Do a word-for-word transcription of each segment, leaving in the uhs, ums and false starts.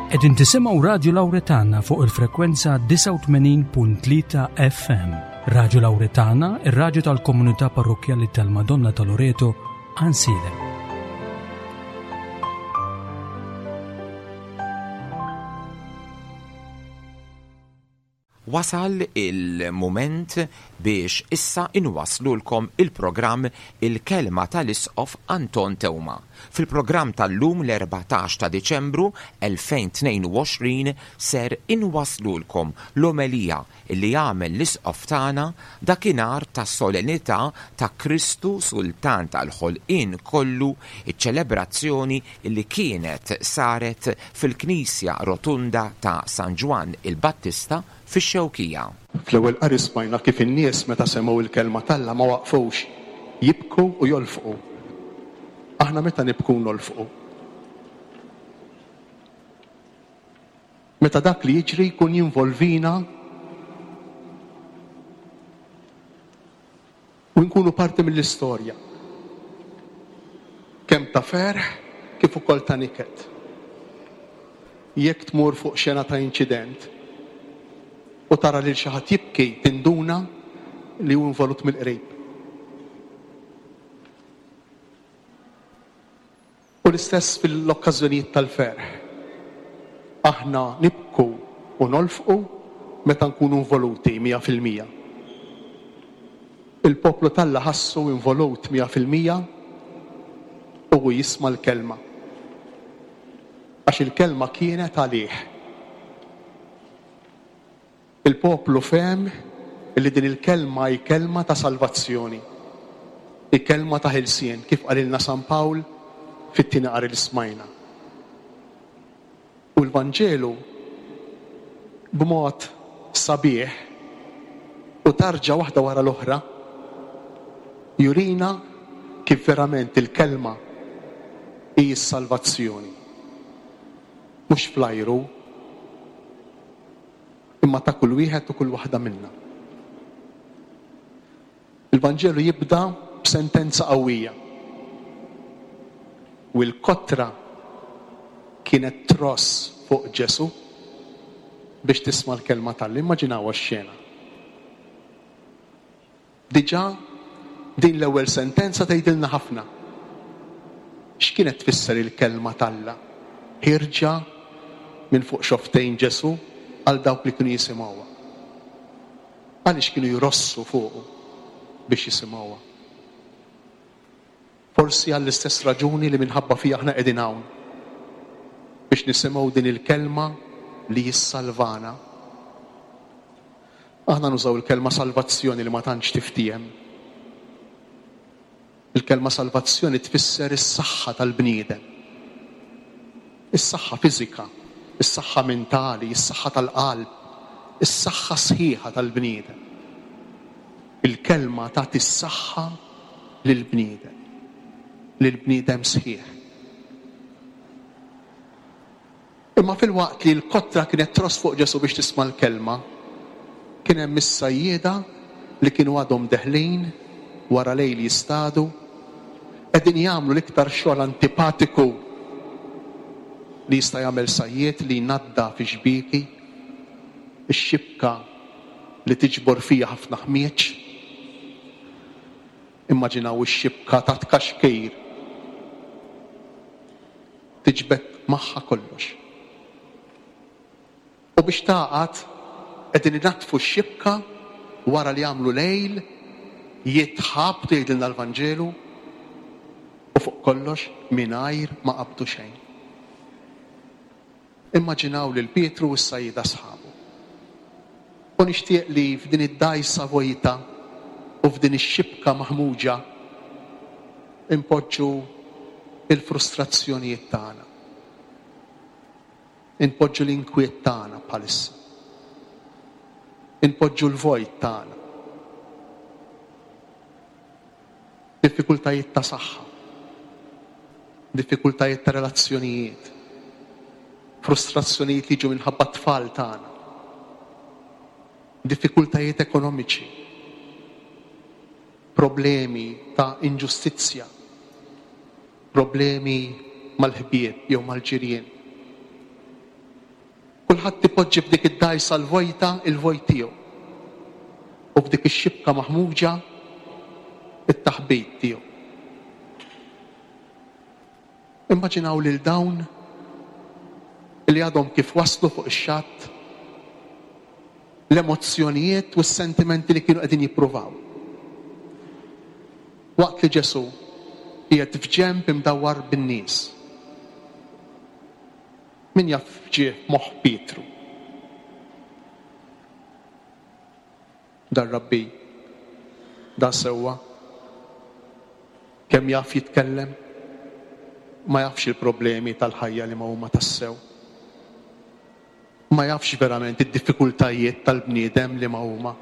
Qegħdin tisimgħu Radio Lauretana fuq il-frekwenza disgħa u tmenin punt tlieta F M. Radio Lauretana, ir-radju tal-komunità parrokkjali tal-Madonna ta' Loreto, Għajnsielem. Wasal il-moment biex issa inwaslulkom il-programm Il-Kelma tal-Isqof Anton Teuma. Fil-programm tal-lum, l-erbatax ta' Diċembru elfejn u tnejn u għoxrin, ser inwaslulkom l-omelija li għamel l-Isqof tagħna dakinhar ta' solennità ta' Kristu Sultan tal-ħolqien kollu, iċ-ċelebrazzjoni li kienet saret fil-Knisja Rotunda ta' San Ġwann il-Battista fix-Xewkija. Fl-ewwel qari smajna kif in-nies, meta semgħu il-kelma t'Alla, ma waqfux jibku u jolfqu. Aħna meta nibku nolfqu? Meta dak li jiġri jkun jinvolvina u nkunu parti mill-istorja. Kemm ta' ferħ kif ukoll ta' niket. Jekk tmur fuq xena ta' inċident u tara lil xi ħadd jibki, tinduna li hu involut mill-qrib. U l-istess fil-okkażjonijiet tal-ferħ. Aħna nibku u nolfqu meta nkunu involuti mija fil-mija. Il-poplu t'Alla ħassu involut mija fil-mija u hu jisma' l-kelma. Għax il-kelma kienet għalih. Il-poplu fehem li din il-kelma hi kelma ta' salvazzjoni, hi kelma ta' ħelsien, kif qalilna San Pawl fit-tieni qari li smajna. U l-Vanġelu b'mod sabiħ u tarġa waħda wara l-oħra jurina kif verament il-kelma hi s-salvazzjoni. Mhux fl-ajru, imma ta' kull wieħed u kull waħda minna. Il-Vanġelu jibda b'sentenza qawwija. U l-kotra kienet tross fuq Ġesu biex tisma' l-kelma t'Alla. Immaġinaw x-xena. Diġà din l-ewwel sentenza tgħidilna ħafna. X'kienet tfisser il-kelma t'Alla? Ħirġa minn fuq xofftejn Ġesu għal dawk li kienu jisimgħuha. Għaliex kienu jrossu fuqu biex jisimgħuha? Forsi għall-istess raġuni li minħabba fija aħna qegħdin hawn, biex nisimgħu din il-kelma li jissalvana. Aħna nużaw il-kelma salvazzjoni li ma tantx tiftiehem. Il-kelma salvazzjoni tfisser is-saħħa tal-bniedem. Is-saħħa fiżika, is-saħħa mentali, is-saħħa tal-qalb, is-saħħa sħiħa tal-bniedem. Il-kelma tagħti s-saħħa lill-bniedem, lill-bniedem sħiħ. Imma filwaqt li l-kotra kienet tross fuq Ġesu biex tisma' l-kelma, kien hemm is-sajjieda li kienu għadhom deħlin wara lejl jistadu, qegħdin jagħmlu l-iktar xogħol antipatiku li jista' jagħmel sajjied, li jnadda fi xbieki, ix-xibka li tiġbor fija ħafna ħmieġ. Immaġinaw ix-xibka ta' tkaxkir tiġbed magħha kollox. U biex taqgħad qegħdin inaddfu x-xibka wara li jagħmlu lejl jitħabtu, jgħidilna l-Vanġelu, u fuq kollox mingħajr ma qabdu xejn. Immaġinaw lil Pietru u s-sajjieda sħabu. U nixtieq li f'din id-dajsa vojta u f'din ix-xibka maħmuġa impoġġu il-frustrazzjonijiet tagħna. Inpoġġu l-inkwiet tagħna bħalissa. Inpoġġu l-vojt tagħna. Diffikultajiet ta' saħħa, diffikultajiet ta' relazzjonijiet, frustrazzjonijiet li jiġu minħabba t-tfal tagħna, diffikultajiet ekonomiċi, problemi ta' inġustizzja, problemi mal-ħbieb jew mal-ġirien. Kulħadd ipoġġi f'dik id-dgħajsa l-vojta il-vojt tiegħu. U f'dik ix-xibka maħmuġa it-taħbit tiegħu. Immaġinaw lil dawn li għadhom kif waslu fuq ix-xatt, l-emozzjonijiet u s-sentimenti li kienu qegħdin jippruvaw. Waqt li Ġesù qiegħed f'ġenb imdawwar bin-nies. Min jaf ġie moħħ Pietru? Dar-rabbi, da sewwa, kemm jaf jitkellem, ma jafx il-problemi tal-ħajja li ma huma tassew. Ma jafx verament id-diffikultajiet tal-bniedem li ma huma.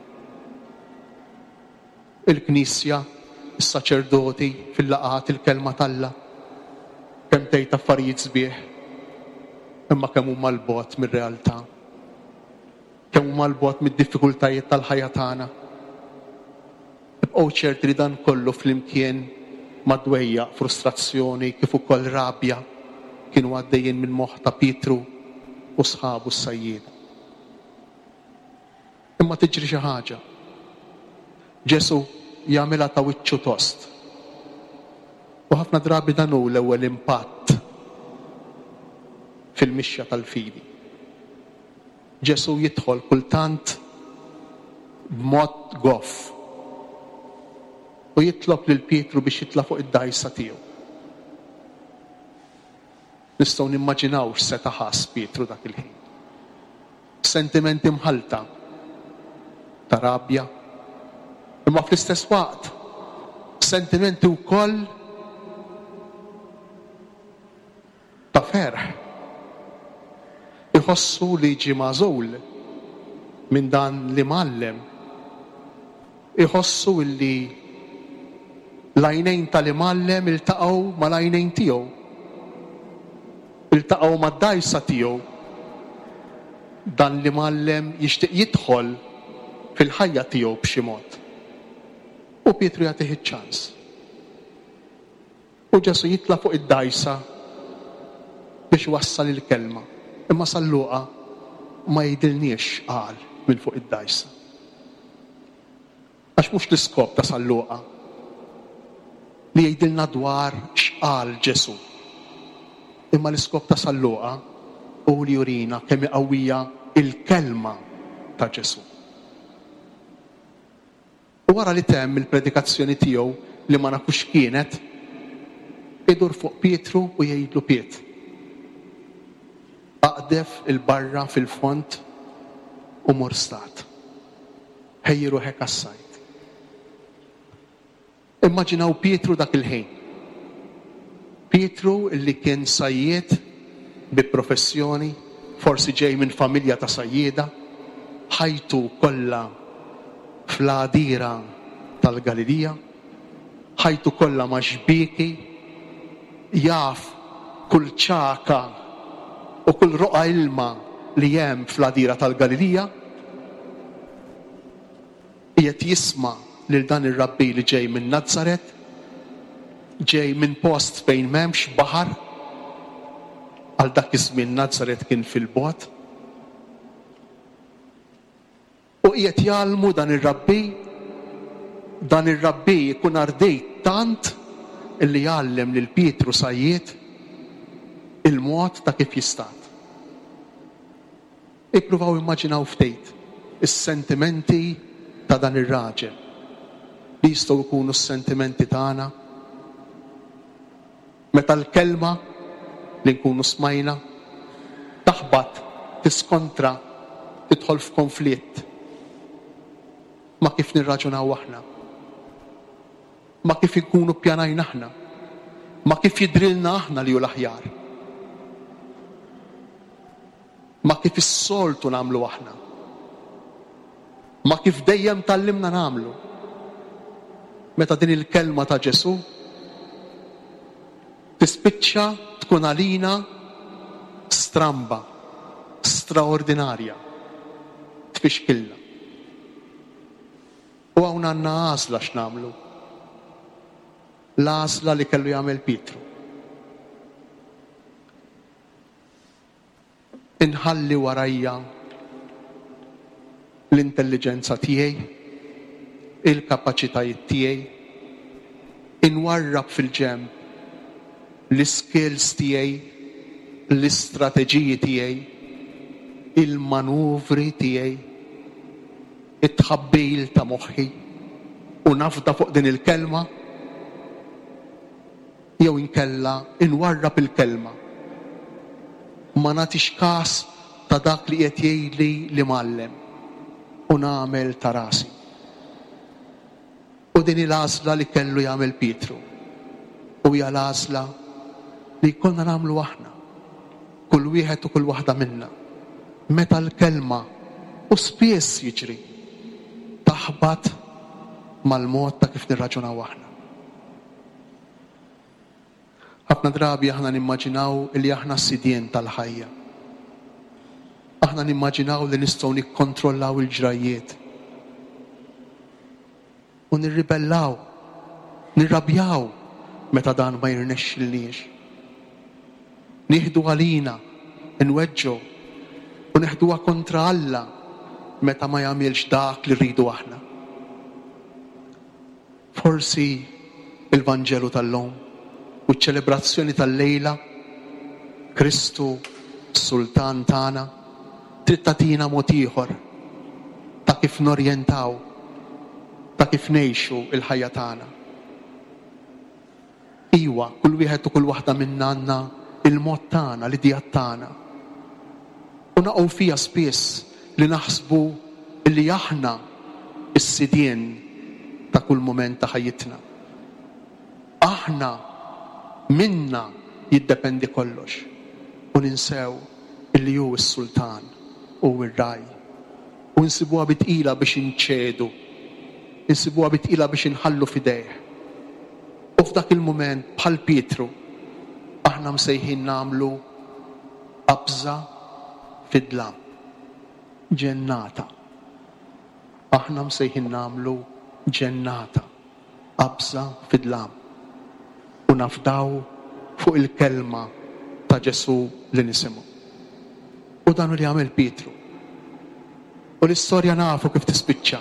Il-Knisja, is-saċerdoti fil-laqgħat il-kelma t'Alla, kemm tgħid affarijiet sbieħ, imma kemm huma l-bogħod mir-realtà. Kemm huma l-bogħod mid-diffikultajiet tal-ħajja tagħna. Ibqgħu ċerti li dan kollu flimkien ma' dwejjaq, frustrazzjoni, kif ukoll rabja kienu għaddejjin minn moħħ ta' Pietru u sħabu s-sajjieda. Imma tiġri xi ħaġa. Ġesù jagħmilha ta' wiċċu tost. U ħafna drabi dan hu l-ewwel impatt fil-mixja tal-fidi. Ġesù jidħol kultant b'mod goff u jitlob lil Pietru biex jitla' fuq id-dgħajsa tiegħu. Nistgħu nimmaġinaw x'seta' ħass Pietru dak il-ħin. Sentimenti mħalta ta' rabja, imma fl-istess waqt sentimenti wkoll ta' ferħ. Iħossu li ġie magħżul minn dan li mgħallem. Iħossu li l-għajnejn tal-imgħallem iltaqgħu mal-għajnejn tiegħu. Iltaqgħu mad-dgħajsa tiegħu. Dan li mgħallem jixtieq jidħol fil-ħajja tiegħu b'xi mod. U Pietru jagħtih iċ-ċans. U Ġesù jitla' fuq id-dgħajsa biex wassal il-kelma. Imma San Luqa ma jgħidilniex qal minn fuq id-dgħajsa. Għax mhux l-iskop ta' San Luqa li jgħidilna dwar x'qal Ġesù. Imma l-iskop ta' San Luqa hu li jurina kemm qawwija il-kelma ta' Ġesù. U wara li temm il-predikazzjoni tiegħu li ma nafux kienet, idur fuq Pietru u jgħidlu Piet, aqdef il-barra fil-fond u mur stat. Ħejji ruħek għas-sajd. Immaġinaw Pietru dak il-ħin. Pietru illi kien sajjied bi professjoni, forsi ġej minn familja ta' sajjieda, ħajtu kollha fl-għadira tal-Galilija, ħajtu kollha ma' xbieki, jaf kull ċaka u kull roqa ilma li hemm fl-għadira tal-Galilija, qiegħed jisma' lil dan ir-rabbi li ġej minn Nazaret, ġej minn post fejn m'hemmx baħar, għal dak iż-żmien Nazaret kien fil-bogħod. U qiegħed jgħallmu dan ir-rabbi, dan ir-rabbi jkun ardejt tant illi jgħallem lil Pietru sajjied il-mod ta' kif jistat. Ippruvaw immaġinaw ftit is-sentimenti ta' dan ir-raġel li jistgħu jkunu s-sentimenti tagħna meta l-kelma li nkunu smajna taħbat, tiskontra, tidħol f'konflitt ma' kif nirraġunaw aħna, ma' kif inkunu ppjanajna aħna, ma' kif jidrilna aħna li hu l-aħjar, ma' kif is-soltu nagħmlu aħna, ma' kif dejjem tgħallimna nagħmlu. Meta din il-kelma ta' Ġesù tispiċċa tkun għalina stramba, straordinarja, tfixkilna. U hawn għandna għażla x'nagħmlu. L-għażla li kellu jagħmel Pietru. Inħalli warajja l-intelliġenza tiegħi, il-kapaċitajiet tiegħi, inwarrab fil-ġenb l-iskills tiegħi, l-istrateġiji tiegħi, il-manuvri tiegħi, it-tħabbil ta' moħħi, u nafda fuq din il-kelma, jew inkella inwarrab il-kelma. Ma nagħtix każ ta' dak li qed jgħidli l-imgħallem u nagħmel ta' rasi. U din il-għażla li kellu jagħmel Pietru. U hija l-għażla li jkollna nagħmlu aħna, kull wieħed u kull waħda minna. Meta l-kelma, u spiss jiġri, taħbat mal-mod ta' kif nirraġunaw aħna. Ħafna drabi aħna nimmaġinaw li aħna sidien tal-ħajja. Aħna nimmaġinaw li nistgħu nikkontrollaw il-ġrajjiet. U nirribellaw, nirrabjaw meta dan ma jirnexxilniex. Nieħdu għalina, nweġġu u neħduha kontra Alla meta ma jagħmilx dak li rridu aħna. Forsi il-Vanġelu tal-lum u ċ-ċelebrazzjoni tal-lejla, Kristu Sultan tagħna, trid tagħtina mod ieħor ta' kif norjentaw, ta' kif ngħixu l-ħajja tagħna. Iwa, kull wieħed u kull waħda minna għandna il-mod tagħna, l-idea tagħna. U naqgħu fija spiss li naħsbu li aħna s-sidien ta' kull mument ta' ħajjitna. Aħna minna jiddependi kollox u ninsew illi hu s-sultan u r-raj. U nsibuha bi tqila biex inċedu, insibuha bi tqila biex inħallu f'idejh. U f'dak il-mument bħal Pietru aħna msejħin nagħmlu qabża fid-dlam, ġennata. Aħna msejħin nagħmlu ġennata, qabża fid-dlam. U nafdaw fuq il-kelma ta' Ġesù li nisimgħu. U dan li għamel Pietru. U l-istorja nafu kif tispiċċa.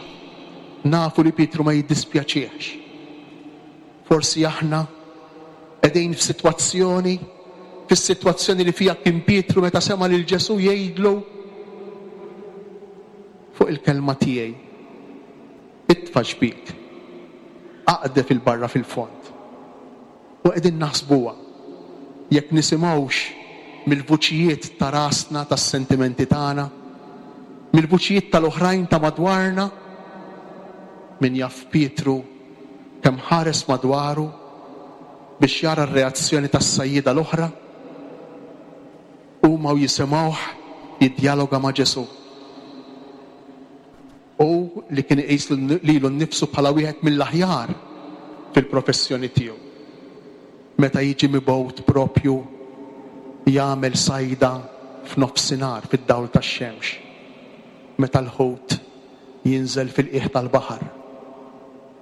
Nafu li Pietru ma jiddispjaċiex. Forsi aħna qegħdin f'sitwazzjoni, fis-sitwazzjoni li fiha kien Pietru meta sema' lil Ġesù jgħidlu fuq il-kelma tiegħi. Itfa' xbik, aqdef il-barra fil-fond. U qegħdin naħsbuha jekk nisimgħux mill-vuċijiet ta' rasna, tas-sentimenti tagħna, mill-vuċijiet tal-oħrajn ta' madwarna. Min jaf Pietru kemm ħares madwaru biex jara r-reazzjoni tas-sajjieda l-oħra, huma u jisimgħuh jiddjaloga ma' Ġesù. U li kien iqis lilu nnifsu bħala wieħed mill-aħjar fil-professjoni tiegħu. Meta jiġi mibgħut propju jagħmel sajda f'nofsinhar fid-dawl tax-xemx, meta l-ħut jinżel fil-qiegħ tal-baħar,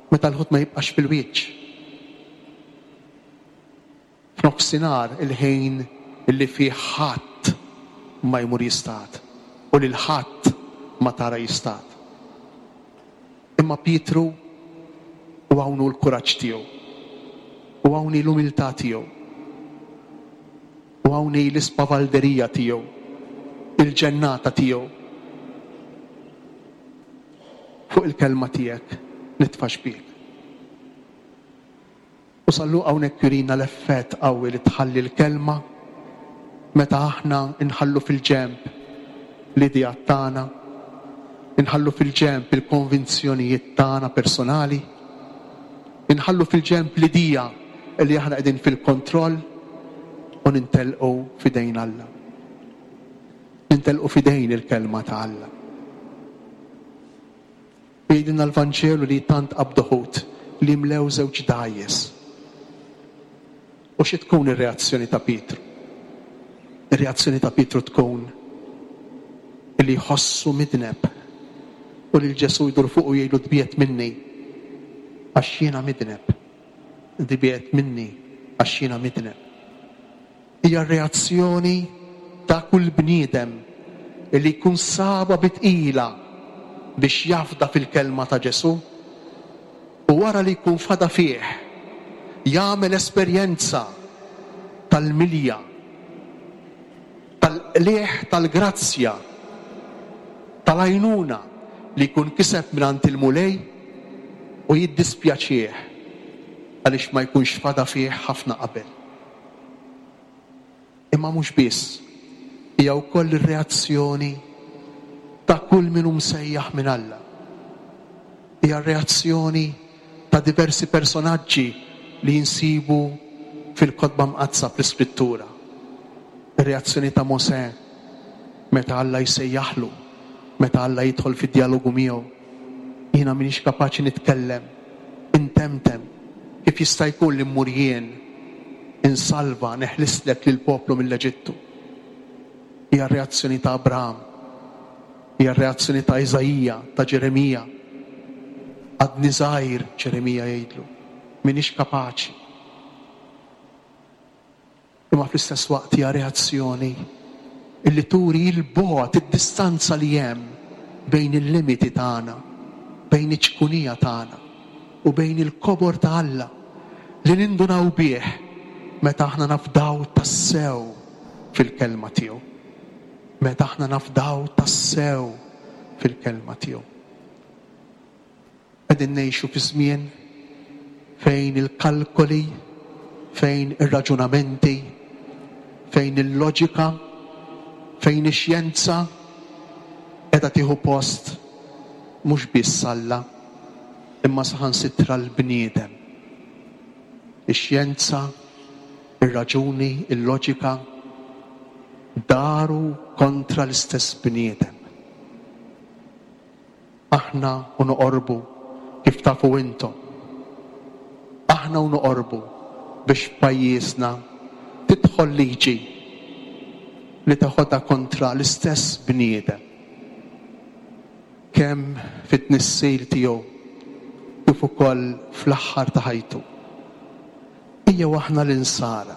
meta l-ħut ma jibqax fil-wiċċ. F'nofsinhar il-ħin illi fih ħadd ma jmur jistad u lil ħadd ma tara jistad. Imma Pietru u hawn hu l-kuraġġ tiegħu, u hawn hi l-umiltà tiegħu, u hawn hi l-ispavalderija tiegħu, il-ġennata tiegħu. Fuq il-kelma tiegħek nitfa' xbik. U San Luqa hawnhekk jurina l-effett qawwi li tħalli l-kelma meta aħna nħallu fil-ġenb l-idea tagħna, inħallu fil-ġenb il-konvinzjonijiet tagħna personali, inħallu fil-ġenb l-idea li aħna qegħdin fil-kontroll u nintelqu f'idejn Alla. Nintelqu f'idejn il-kelma ta' Alla. Jgħidilna l-Vanġelu li tant qabdu ħut li mlew żewġ dgħajjes. U xi tkun ir-reazzjoni ta' Pietru? Ir-reazzjoni ta' Pietru tkun li jħossu midneb u lil Ġesù jdur fuq u jgħidlu tbiegħed minni għax jiena midneb. Tbiegħed minni għax jiena midneb. Hija reazzjoni ta' kull bniedem li jkun saba bi tqila biex jafda fil-kelma ta' Ġesù, u wara li jkun fada fih jagħmel esperjenza tal-milja, tal-qligħ tal-grazzja, tal-għajnuna li jkun kiseb mingħand il-Mulej, u jiddispjaċih għaliex ma jkunx fada fih ħafna qabel. Imma mhux biss, hija wkoll ir-reazzjoni ta' kull min hu msejjaħ minn Alla. Hija r-reazzjoni ta' diversi personaġġi li jinsibu fil-Kotba Mqaddsa fl-Iskrittura. Ir-reazzjoni ta' Mosè meta Alla jsejjaħlu, meta Alla jidħol fid-dialogu miegħu. Jiena m'iniex kapaċi nitkellem, intemtem, kif jista' jkun li mmur jien insalva, neħlislek lill-poplu mill-Eġittu. Hija r-reazzjoni ta' Abraham, hija r-reazzjoni ta' Iżaija, ta' Ġeremija. Għadni żgħir, Ġeremija jgħidlu, m'iniex kapaċi. Imma fl-istess waqt hija reazzjoni illi turi l-bogħod, id-distanza li hemm bejn il-limiti tagħna, bejn iċ-ċkunija tagħna u bejn il-kobor ta' Alla li nindunaw bih meta aħna nafdaw tassew fil-kelma tiegħu. Meta aħna nafdaw tassew fil-kelma tiegħu. Qegħdin ngħixu fi żmien fejn il-kalkoli, fejn ir-raġunamenti, fejn il-loġika, fejn ix-xjenza qiegħda tieħu post mhux biss Alla, imma saħansitra l-bniedem. Ix-xjenza, ir-raġuni, il-loġika daru kontra l-istess bniedem. Aħna u noqorbu kif tafu intom. Aħna u noqorbu biex pajjiżna tidħol liġi li teħodha kontra l-istess bniedem. Kemm fit-tnissil tiegħu kif ukoll fl-aħħar ta' ħajtu. Ejjew aħna l-insara,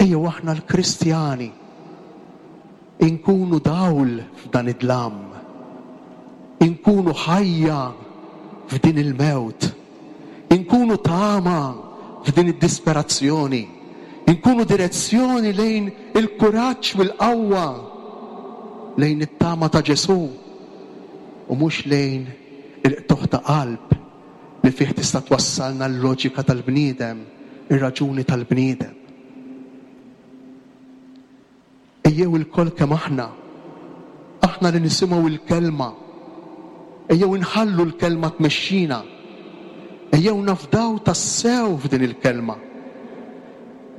ejjew aħna l-Kristjani, inkunu dawl f'dan id-dlam, inkunu ħajja f'din il-mewt, inkunu tama f'din id-disperazzjoni, inkunu direzzjoni lejn il-kuraġġ u l-qawwa, lejn it-tama ta' Ġesù, u mhux lejn il-qtugħ ta' qalb li fih tista' twassalna l-loġika tal-bniedem, ir-raġuni tal-bniedem. Ejjew ilkoll kemm aħna, aħna li nisimgħu l-kelma, ejjew inħallu l-kelma tmexxina, ejjew nafdaw tassew f'din il-kelma,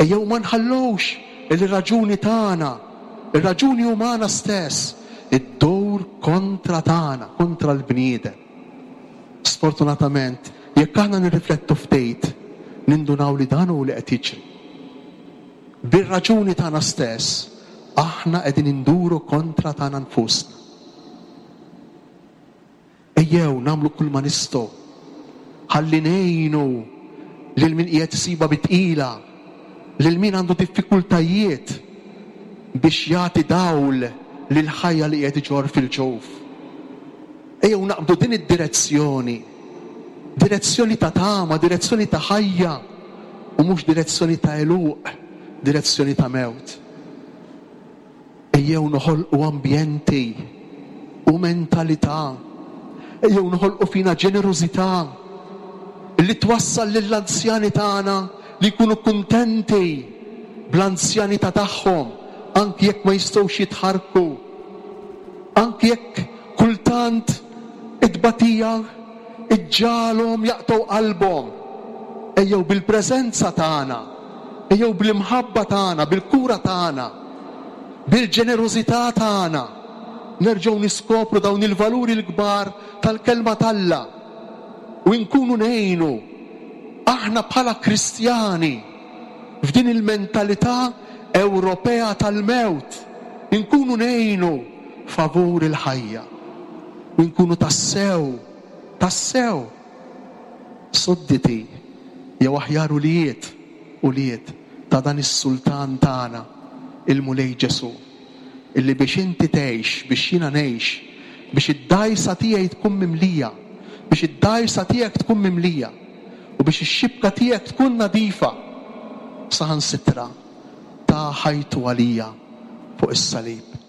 ejjew ma nħallux il-raġuni tagħna, ir-raġuni umana stess, iddur kontra tagħna, kontra l-bniedem. Sfortunatament, jekk aħna nirriflettu ftit, nindunaw li dan hu li qed jiġri. Bir-raġuni tagħna stess, aħna qegħdin induru kontra tagħna nfusna. Ejjew nagħmlu kull ma nistgħu ħalli ngħinu lil min qiegħed isiba bi tqila, lil min għandu diffikultajiet biex jagħti dawl lil ħajja li qiegħed iġorr fil-ġuf. Ejjew naqbdu din id-direzzjoni, direzzjoni ta' tama, direzzjoni ta' ħajja, u mhux direzzjoni ta' għeluq, direzzjoni ta' mewt. Ejjew noħolqu ambjenti u mentalità, ejjew noħolqu fina ġenerożità li twassal lill-anzjani tagħna li jkunu kuntenti bl-anzjanità tagħhom, anki jekk ma jistgħux jitħarrku, anki jekk kultant it-tbatija iġġalhom jaqtgħu qalbhom. Ejjew bil-preżenza tagħna, ejjew bl-imħabba tagħna, bil-kura tagħna, bil-ġenerożità tagħna, nerġgħu niskopru dawn il-valuri l-kbar tal-kelma t'Alla u nkunu ngħinu aħna bħala Kristjani f'din il-mentalità Ewropea tal-mewt, inkunu ngħinu favur il-ħajja u nkunu tassew, tassew sudditi jew aħjar ulied, ulied ta' dan is-sultan tagħna, il-Mulej Ġesù. illi biex inti tgħix, biex jiena ngħix, biex id-dgħajsa tiegħi tkun mimlija, biex id-dgħajsa tiegħek tkun mimlija u biex ix-xibka tiegħek tkun nadifa, saħansitra ta ħajtu għalija fuq is-salib.